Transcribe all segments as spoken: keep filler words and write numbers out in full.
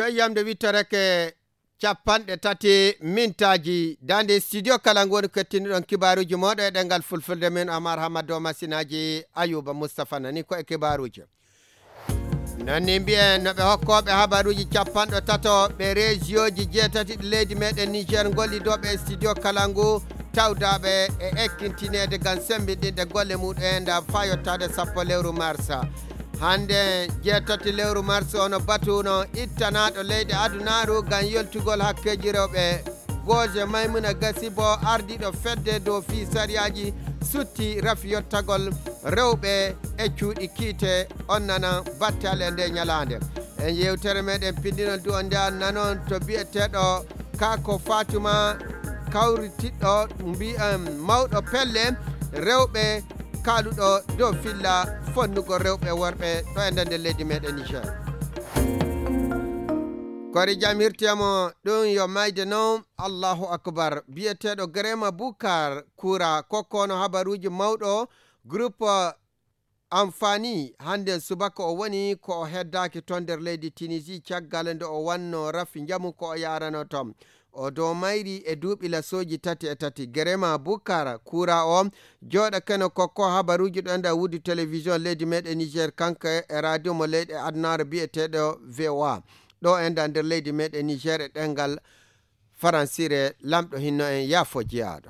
Yamde wittoreke capanɗe tati mintaaji. Daande studio kala ngoni kettiniɗon kibaaruuji mooɗo e ɗengal fulfulde, min Amar Hamado, masinaaji Ayuba Mustapha nani ko e kibaaruuji. Nani mbiyen no ɓe hokkooɓe habaruuji capanɗo tato ɓe rejiyooji jeetati ɗi leydi meɗen Niger, gollidooɓe e studio kala ngu, tawdaaɓe e ekkintineede ngam semmbiɗinde golle muɗum en nda faa yottaade sappo lewru marsa. Hannde jeetati lewru mars, ono batu no ittanaaɗo leyɗe adunaaru ngam yoltugol hakkeeji rewɓe. Gooje Maymuna Gasibo, ardiiɗo fedde dow fii sariyaaji, sutti rafi yottagol rewɓe e cuuɗi kiite. On nana battale e nde ñalaande. E yeewtere meɗen pinndinol du on nde an nanon to biyeteeɗo Kako Fatuma, kawritiɗɗo mbiyen mawɗo pelle rewɓe, kaaluɗo dow filla fonnugol rewɓe e worɓe ɗo e nder leydi meɗen Niger. Kori jam hirtiyamo ɗum yo mayde non. Allahu akbar. Biyeteeɗo Grema Bukar Kura kokkono habaruuji mawɗo groupe Amfani, hannden subaka o woni ko o heddaaki to nder leydi Tunisie caggal nde o wanno rafi njamu ko o yaarano toon. O dow mayri e duuɓi lasooji tati e tati. Gerema Bukar Kura o jooɗa keno kokko habaruuji ɗo enda wudi télévision leydi meɗen Niger, kanko e radio mo leyɗe adunaaru biyeteeɗo V O A. Ɗo enda nder leydi meɗen Niger e ɗengal Faransire, lamɗo hinno en yaafo jeyaaɗo.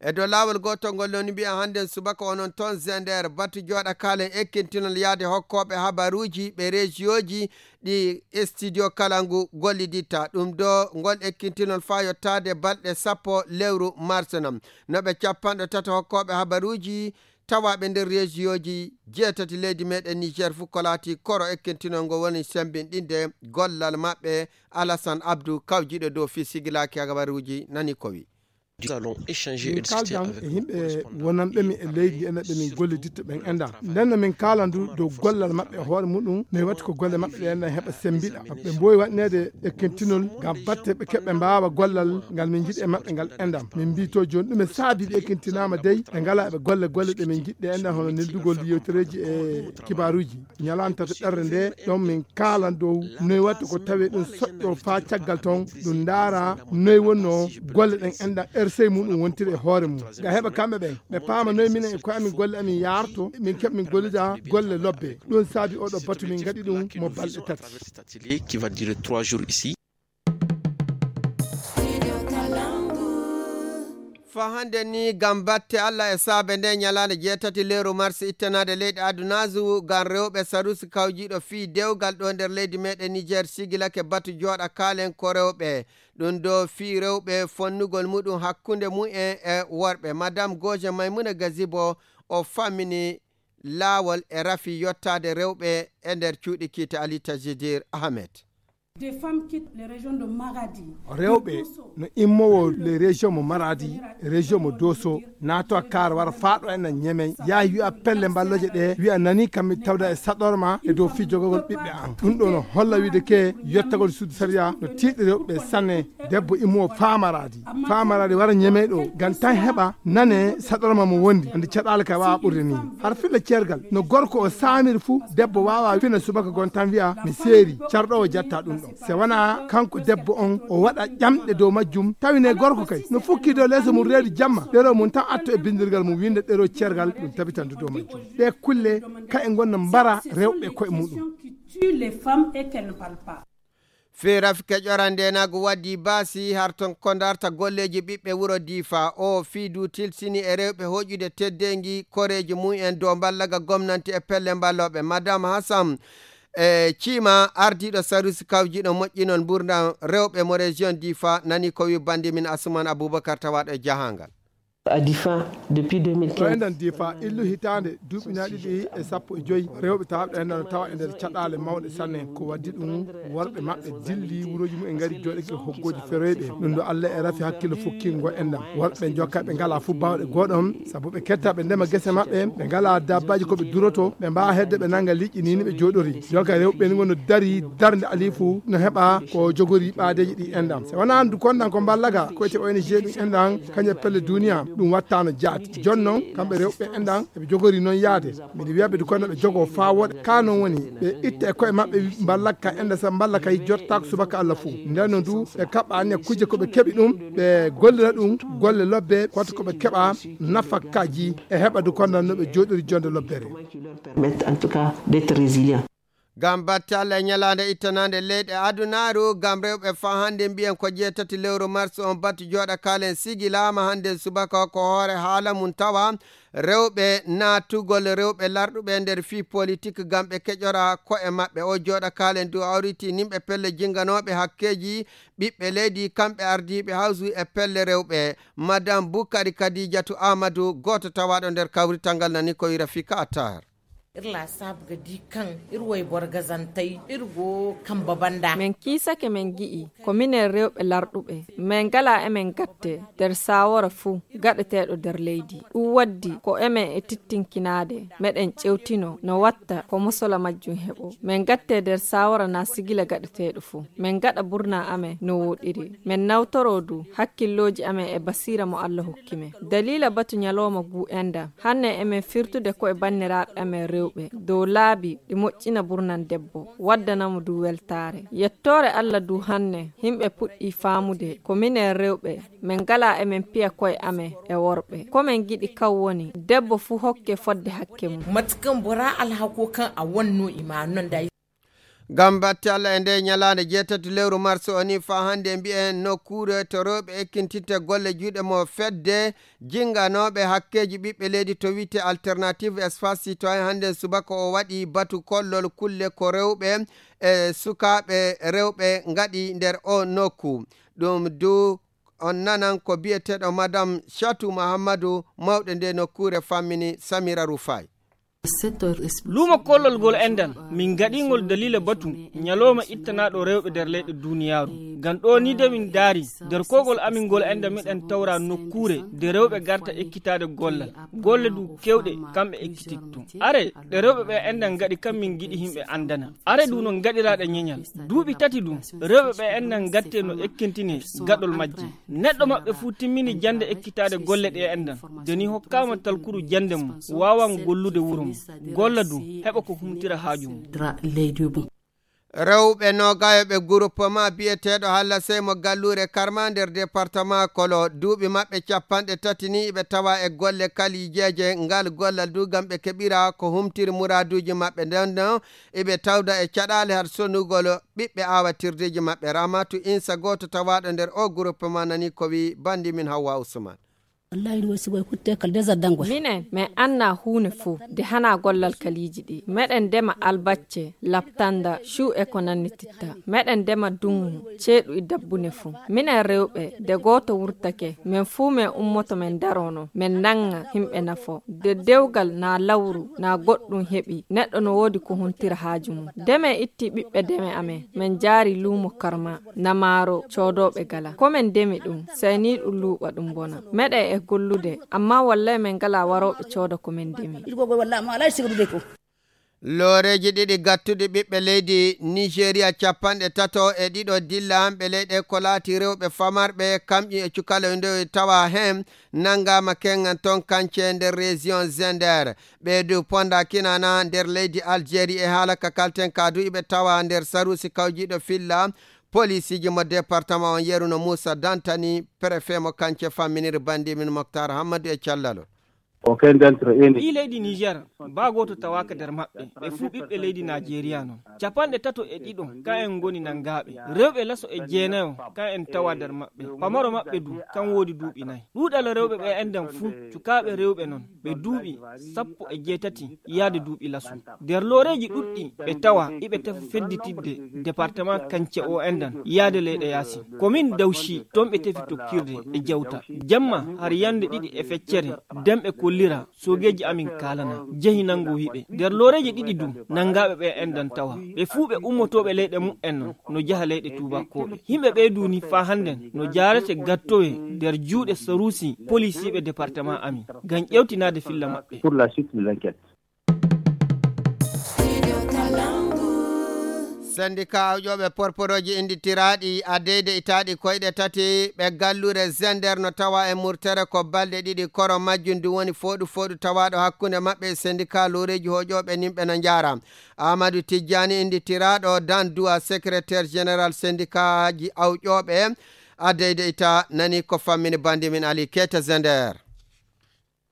E dow laawol gootol ngol woni mbiya hannden subaka onon toon Zender, batu jooɗa kaalen ekkintinol yaade hokkooɓe habaruuji ɓe rejiyooji ɗi studio kala ngu golliditta. Ɗum ɗo ngol ekkintinol faa yottaade balɗe sappo lewru mars non. No ɓe capanɗe tato hokkooɓe habaruuji tawaaɓe nder rejiyooji jeetati leydi meɗen Niger fuu ko laati koro ekkintinol ngol woni semmbinɗinde gollal maɓɓe. Alassane Abdou kawjiiɗo dow fii sigilaaki habaruuji nani ko wi. Min kaaldan e yimɓe wonanɓe mi e leydi ndi ena ɓe min golliditta ɓen enda. Nden no min kaalan du dow gollal maɓɓe e hoore muɗum, no e watti ko golle maɓɓe ɗe enda heɓa sembiɗa. Ɓe mboowi waɗineede ekkintinol ngam batte ɓe keɓɓe mbaawa gollal ngal min njiɗi e maɓɓe ngal enda. Min mbii to jooni ɗume saabi ɓe ekkintinaama dey ɓe ngalaa ɓe golle golle ɗe min njiɗi ɗe enda hono neldugol yewtereeji e kibaaruuji. Ñalaande tataɓerde nde, ɗon min kaalan dow noy watta ko tawe ɗum soƴƴo faa caggal ton, ɗum ndaara noy wonnoo golle ɗen enɗan R C muɗum wontiri e hoore mum. Ngam heɓa kamɓe ɓen, ɓe paama noy minen e koye amin golle amin yaarto, min keɓa min gollida golle lobbe. Ɗum saabi oɗo batu min ngaɗi ɗum mo balɗe tati. Qui va durer trois jours ici. Fa hannde ni, ngam batte Allah e saabe nde ñalaande jeetati lewru mars ittanaade leyɗe adunaaru ngam rewɓe sarusi kawjiiɗo fii dewgal ɗo nder leydi meɗen Niger sigilake batu jooɗa kaalen ko rewɓe. Ɗum ɗo fii rewɓe fonnugol muɗum hakkunde mumen e worɓe. Madame Goje Maimouna Gazibo o fammini laawol e rafi yottaade rewɓe e nder cuuɗi kiite Ali Tajidir Ahmed. Des femmes quittent les régions de Maradi, rewɓe no immowo les régions mo Maradi, région mo Dosso, naato a kaar wara faaɗo en a ñemey, yaha wi'a pelle mballoje ɗe, wi'a nani kam mi tawda e saɗorma e dow fii jogagol ɓiɓɓe an. Ɗum ɗo no holla wiide ke yottagol suudu sariya no tiiɗi rewɓe sanne. Debbo immowo faa Maradi, faa Maradi wara ñemey ɗo, ngam tan heɓa nane saɗorma mo wondi. Andi caɗaale ka wawa ɓurde ni. Har filla ceergal, no gorko o saamiri fu, debbo wawa fina subaka gon tan wi'a mi seeri, carɗoowo jatta ɗum ɗon. Se wona kanko debbo on o waɗa ƴamɗe dow majjum, tawi ne gorko kay no fukki dow leeso mum reedu jamma, ɗero mum tan atto e bindirgal mum winnda ɗero ceergal, ɗum tabitandu dow majjum. Ɗe kulle ka e ngonno mbara rewɓe koye muɗum. Tue les femmes et qu'elles ne parlent pas. Fii rafi keƴoran ndeenaagu waɗi baasi har ton ko ndarta golleeji ɓiɓɓe wuro Diifa. O fii du tilsini e rewɓe hoƴude teddeengi koreeji mum en dow mballaga gomnanti e pelle mballooɓe. Madame Hassan e Ciima, ardiiɗo sarusi kawjiiɗo moƴƴinol mburndan rewɓe mo région Diifa, nani ko wi bandi min Asuman Abubakar tawaaɗo e jahangal. À Difa, depuis deux mille quinze. Ɗo enɗan Difa, illu hitaande duuɓi na ɗiɗi e sappo e joy, rewɓe tawɓe ɗo enɗan no tawa e nder caɗaale mawɗe sanne. Ko waddi ɗum, worɓe maɓɓe dilli wuroji mum en ngari jooɗake hoggooji feroyɓe. Ɗum ɗo Allah e rafi hakkillo fukkingo enɗan. Worɓe jokka ɓe ngalaa fu baawɗe gooɗon, sabu ɓe ketta ɓe ndema gese maɓɓe, ɓe ngalaa dabbaaji ko ɓe duroto, ɓe mbaawa hedde ɓe nanga liƴƴi ni ni ɓe jooɗori. Jonka rewɓe ni ngono dari darnde alifu no heɓa ko jogori ɓaadeeji ɗi enɗan. Se wona andu konɗan ko mballaga ko ete O N G ɗum enɗan, kañum e pelle duniya. Ɗum wattaano jaati. Jooni noon, kamɓe rewɓe enɗan, eɓe jogori noon yaade. Miɗo wiya ɓe du kono ɓe jogoo faa wooɗa. Kaa noon woni, ɓe itta e koye maɓɓe, mballa ka enɗan, sa mballa kay jottaako subaka Alla fuu. Nden noon du, ɓe kaɓɓa anniya kujje ko ɓe keɓi ɗum, ɓe gollira ɗum, golle lobbe, koto ko ɓe keɓa nafakaaji, e heɓa du kono no ɓe jooɗiri jonde lobbere. Permettre en tout cas d'être résilient. Ngam batte Alla e ñalaande ittanaande leyɗe adunaaru, ngam rewɓe faa hannde mbiyen ko jeetati lewru mars on batu jooɗa kaalen sigilaama hannde subaka ko hoore haala mum tawa rewɓe naatugol rewɓe larɗuɓe nder fii politik ngam ɓe keƴora ko'e maɓɓe. O jooɗa kaalen du hawriti nimɓe pelle jinganooɓe hakkeeji ɓiɓɓe leydi, kamɓe ardiiɓe hawsu e pelle rewɓe. Madame Bukari Kadijatu Amadou, gooto tawaaɗo nder kawrital ngal nani ko wira fika attar. Ir la sab ga di kan ir way borgazantai ir go kamba banda. Men kiisake men gi'i ko minen rewɓe larɗuɓe men gala emen gatte nder sawara fuu gaɗeteeɗo nder leydi. Ɗum waddi ko emen e tittinkinaade meɗen ƴewtino no watta ko mosola majjum heɓo men gatte nder sawara na sigila gaɗeteeɗo fuu. Men gaɗa burna amen no woɗiri men nawtoro du hakkillooji amen e basira mo Allah hokki men. Dalila batu ñalawma gu enɗan hanne emen firtude ko e banniraaɓe amen rewɓe dow laabi ɗi moƴƴina burnan debbo waddana mo du weltaare. Yettoore Allah du hanne yimɓe puɗɗi faamude ko minen rewɓe men ngala emen piya koye amen e worɓe ko men giɗi kan woni debbo fuu hokke fodde hakke mum. Matkan bora alhako kan a wanno ima non da. Ngam batte Allah e nde ñalaande jeetati lewru mars o ni faa hannde mbiyen nokkuure to rewɓe ekkintitte golle juuɗe mo fedde jinganooɓe hakkeeji ɓiɓɓe leydi to wi'ete Alternative Espace Citoyen hannde subaka o waɗi batu kollol kulle ko rewɓe e sukaaɓe rewɓe ngaɗi nder o nokku. Ɗum du on nanan ko biyeteeɗo Madame Chatou Mahamadou mawɗo nde nokkuure fammini Samira Rufai. Luumo kollol ngol enɗan min ngaɗingol daliila batu ñalawma ittanaaɗo rewɓe nder leyɗe duniyaaru. Ngam ɗoo nii de min ndaari nder koygol amin ngol enɗan miɗen tawra nokkuure nde rewɓe ngarta ekkitaade gollal. Golle du keewɗe kamɓe ekkititto. Are ɗe rewɓe ɓe enɗan ngaɗi kam min ngiɗi yimɓe anndana. Are du no ngaɗiraɗe ñeñal. Duuɓi tati du rewɓe ɓe enɗan ngatte no ekkintinee gaɗol majje. Neɗɗo maɓɓe fuu timmini jannde ekkitaade golle ɗe enɗan. De ni hokkaama talkuru jannde mum waawan gollude wuro mum. Golla du heɓa ko humtira haaju mum. Rewɓe noogayooɓe guruppema biyeteeɗo Halla Sey mo galluure Karma nder departama Kolo duuɓi maɓɓe cappanɗe tati ni iɓe tawa e golle kalijeeje ngal gollal du ngam ɓe keɓira ko humtiri muraaduuji maɓɓe nden no iɓe tawda e caɗaale har sonugol ɓiɓɓe aawatirdeeji maɓɓe. Ramatu Insa gooto tawaaɗo nder o guruppema nani ko wi bandi min Hawwa Usman. Wallahi ɗum woni sigoye kutte kala désordre dangoye. Minen min annaa huunde fof nde hanaa gollal kaliiji ɗi. Meɗen ndema albacce, laptannda, cuu e ko nannititta. Meɗen ndema duŋŋu, ceeɗu e dabbune fof. Minen rewɓe, nde gooto wurtake, min fuu min ummoto min ndarono, min nannga yimɓe nafo. Nde dewgal naa lawru naa goɗɗum heɓi, neɗɗo no woodi ko huntira haaju mum. Nde min itti ɓiɓɓe deme amen, min njaari luumo Karma. Namaaro coodooɓe gala. Ko men ndemi ɗum, sey ni ɗum luuɓa ɗum bona. Meɗen e gollude, ammaa wallay men ngalaa warooɓe cooda ko men ndemi. Looreeji ɗiɗi gattuɗi ɓiɓɓe leydi Nigeria capanɗe tato e ɗiɗo dilla hamɓe leyɗe ko laati rewɓe famarɓe kamƴi e cukaloy ndoy tawa heen nanngaama keŋŋan toon kance nder région Zender. Ɓee du ponda kinana nder leydi Algérie e haala ka kalten ka du iɓe tawa nder saruusi kawjiiɗo filla poliisiiji mo département on yeruno Moussa Dantani préfet mo kance famminiri bandi min Moctar Hammadou e callalol. Aucun d'entre eux n'est Ɓii leydi Niger baa gooto tawaaka nder maɓɓe, ɓe fuu ɓiɓɓe leydi Najeriya non. Capanɗe tato e ɗiɗo ka'en ngoni nanngaaɓe. Rewɓe laso e jeenayo ka'en tawa nder maɓɓe. Pamaro maɓɓe du kan woodi duuɓi nay. Ɗuuɗal rewɓe ɓe enɗan fuu cukaaɓe rewɓe non ɓe duuɓi sappo e jeetati yaade duuɓi laso. Nder looreeji ɗuɗɗi ɓe tawa iɓe tefa fedditidde departement kance o enɗan yaade leyɗe yaasi. Komin Dawci toon ɓe tefi tokkirde e jawta. Jamma har yande ɗiɗi e feccere demɓe kollira soogeeji amin kaalana jehi nanngo hiɓe. Nder looreeji ɗiɗi du nanngaaɓe ɓe enɗan tawa. Ɓe fuu ɓe ummotooɓe leyɗe mu'en non no jaha leyɗe tuubakooɓe. Yimɓe ɓee du ni faa hannden no jaarete gattowe nder juuɗe saruusi polisiiɓe departement amin ngam ƴewtinaade filla maɓɓe. Pour la suite de l'enquête. Sendika awƴooɓe porporooji innditiraaɗi a deydeytaaɗi koyɗe tati ɓe galluure Zender no tawa e murtere ko balɗe ɗiɗi, koro majjum ndu woni fooɗu fooɗu tawaaɗo hakkunde maɓɓe e sendika looreeji hoƴooɓe nin ɓe no njaara. Amadou Tijjani innditiraaɗo dan duwa secrétaire général sendikaaji awƴooɓe a deydeyta nani ko fammini bandi min Ali Keita Zender.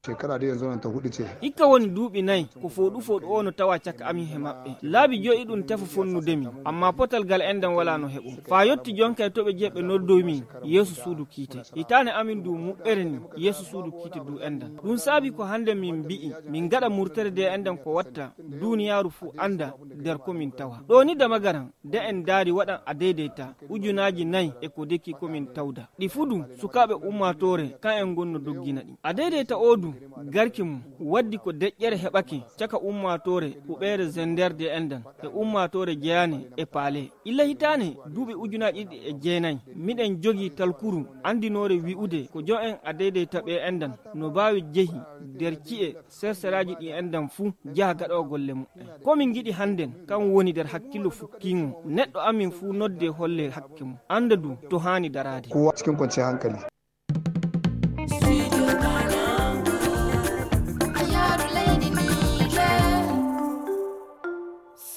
Shekara dai yanzu nan ta hudu ce. Hikka woni duuɓi nay ko fooɗu fooɗu o no tawa caka amin he maɓɓe. Laabi joyi ɗum tefa fonnude min, amma potal gal enɗan wala no heɓo. Faa yotti jonka e toɓe jeeɓe noddoy min yeeso suudu kiite. Hitaane amin du muɓɓere ni yeeso suudu kiite du enɗan. Ɗum saabi ko hannde min mbi'i min gaɗa murtere de enɗan ko watta duuniyaaru fuu annda nder ko min tawa. Ɗoo ni Damagaran de en ndaari waɗan a deydeyta ujunaaji nay e ko deki ko min tawda. Ɗi fuu du sukaaɓe ummaatoore kan en ngonno doggina ɗi. A deydeyta oo du garki mum waddi ko deƴƴere heɓake caka ummaatoore huɓeere Zender de enɗan e ummaatoore jeyaane e paale. Illa hitaane duuɓi ujunaaji ɗiɗi e jeenay miɗen jogii talkuru anndinoore wi'ude ko jo'en a deydeyta ɓe enɗan no baawi jehi nder ci'e serseraaji ɗi enɗan fuu jaha gaɗoowo golle muɓɓen. Ko min ngiɗi hannden kan woni nder hakkillo fukkiingo neɗɗo amin fuu nodde holle hakke mum annda du to haani daraade. Kowa cikin kwanciyar hankali.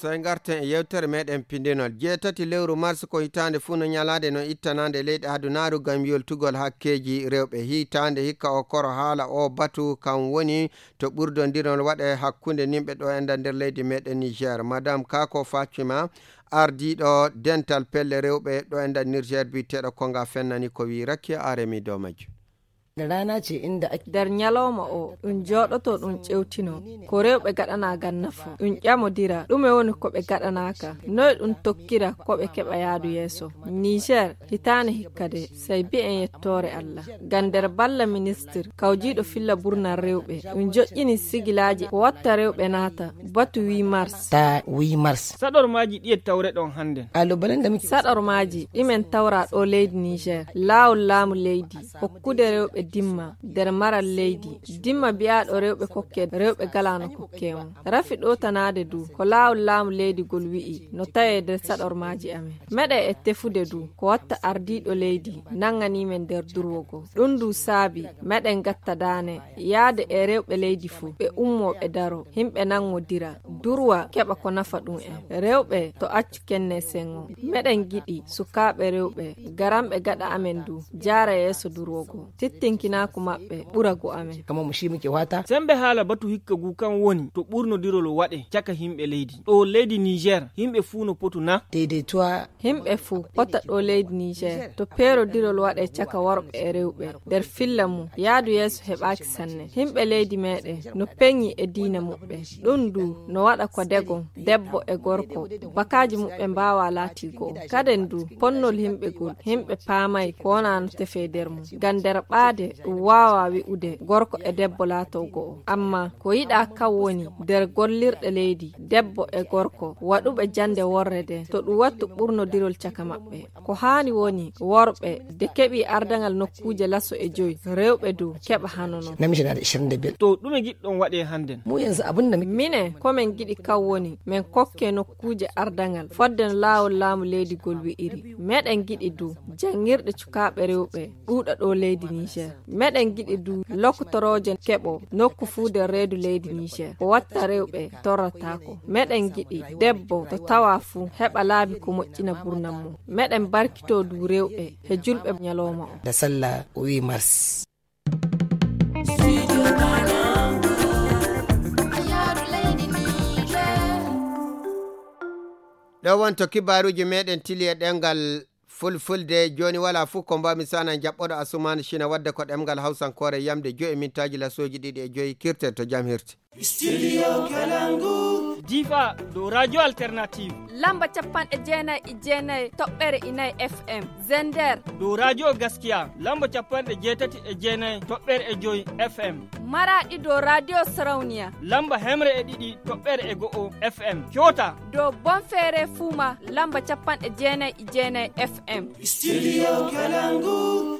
Sey ngarten e yewtere meɗen pindinol. Jeetati lewru mars ko hitaande fuu no ñalaande no ittanaande leyɗe adunaaru ngam yoltugol hakkeeji rewɓe. Hitaande hikka o koro haala o batu kan woni to ɓurdondirol waɗe hakkunde nimɓe ɗo enɗan nder leydi meɗen Niger. Madame Kako Fatima, ardiiɗo dental pelle rewɓe ɗo enɗan Niger biyeteeɗo Konga fennani ko wii Rakiya Aremi dow majjum. Nder ñalawma o ɗum jooɗoto ɗum ƴewtino ko rewɓe gaɗanaa ngam nafa, ɗum ƴamodira ɗume woni ko ɓe gaɗanaaka, noy ɗum tokkira ko ɓe keɓa yaadu yeeso. Niger, hitaande hikka de, sey bi'en yettoore Allah. Ngam nder balla ministir kawjiiɗo filla burnal rewɓe, ɗum joƴƴini sigilaaji ko watta rewɓe naata batu huit mars. Ta huit mars. Saɗormaaji ɗiye tawreɗon hannden? Saɗormaaji ɗi men tawra ɗo leydi Niger, laawol laamu leydi, hokkude rewɓe dimma nder maral leydi, dimma biyaaɗo rewɓe kokke rewɓe galaa no kokke on. Rafi ɗowtanaade du ko laawol laamu leydi gol wi'i no tawee nder saɗormaaji amen. Meɗen e tefude du ko watta ardiiɗo leydi nannganii men nder durwo goo. Ɗum du saabi meɗen gatta daane yaade e rewɓe leydi fuu, ɓe ummoo ɓe daroo, himɓe nanngodira, durwa keɓa ko nafa ɗum en. Rewɓe to accu kenne sengo. Meɗen ngiɗi sukaaɓe rewɓe garanɓe gaɗa amen du jaara yeeso durwo goo, tittinkinaaku maɓɓe ɓura gu amen. Kamar mu shi muke fata. Sembe haala batu hikka gu kan woni to ɓurnodirol waɗe caka himɓe leydi. Ɗo leydi Niger himɓe fuu no potu na? Daidaituwa. Himɓe fuu pota ɗo leydi Niger to peerodirol waɗe caka worɓe e rewɓe nder filla mum yaadu yeeso heɓaaki sanne. Himɓe leydi meɗen no peŋi e diina muɓɓen. Ɗum du no waɗa ko degon debbo e gorko bakaaji muɓɓen mbaawa laati go'o. Kaden du ponnol himɓe gol himɓe paamay ko wona no tefee nder mum. Ngam nder ɓaade ɗum waawa wi'ude gorko e debbo laato go'o. Amma ko yiɗaa kan woni nder gollirɗe leydi debbo e gorko waɗuɓe jannde worre nden to ɗum wattu ɓurnodirol caka maɓɓe. Ko haani woni worɓe de keɓi ardaŋal nokkuuje laso e joy, rewɓe du keɓa hano non. Namiji na da ishirin da biyar. To ɗume ngiɗɗon waɗe hannden? Mu yanzu abin da muke. Minen ko men ngiɗi kan woni men kokke nokkuuje ardaŋal fodde no laawol laamu leydi gol wi'iri. Meɗen ngiɗi du janngirɗe cukaaɓe rewɓe ɗuuɗa ɗo leydi Niger. Meɗen ngiɗi du lokotorooje keɓo nokku fuu nder reedu leydi Niger ko watta rewɓe torrataako. Meɗen ngiɗi debbo to tawa fuu heɓa laabi ko moƴƴina burnam mum. Meɗen barkito du rewɓe he julɓe ñalawma o. Da sallah huit mars. Ɗo wonto kibaaruuji meɗen tili e ɗemngal fulfulde. Jooni wala fuu ko mbaami sana jaɓɓoɗo Asumaani Cina wadde ko ɗemngal hawsankoore yamde joyi mintaaji lasooji ɗiɗi e joyi. Kirten to jam hirti. Studio Kalangu. Difa dow Radio Alternative. Lamba capanɗe jeenay e jeenay toɓɓere inay F M. Zender. Dow Radio Gaskiya lamba capanɗe jeetati e jeenay toɓɓere e joyi F M. Maraɗi dow Radio Sarauniya. Lamba hemre e ɗiɗi toɓɓere e go'o F M. Kyota. Dow Bonfere Fuma lamba capanɗe jeenay e jeenay F M. Studio Kalangu.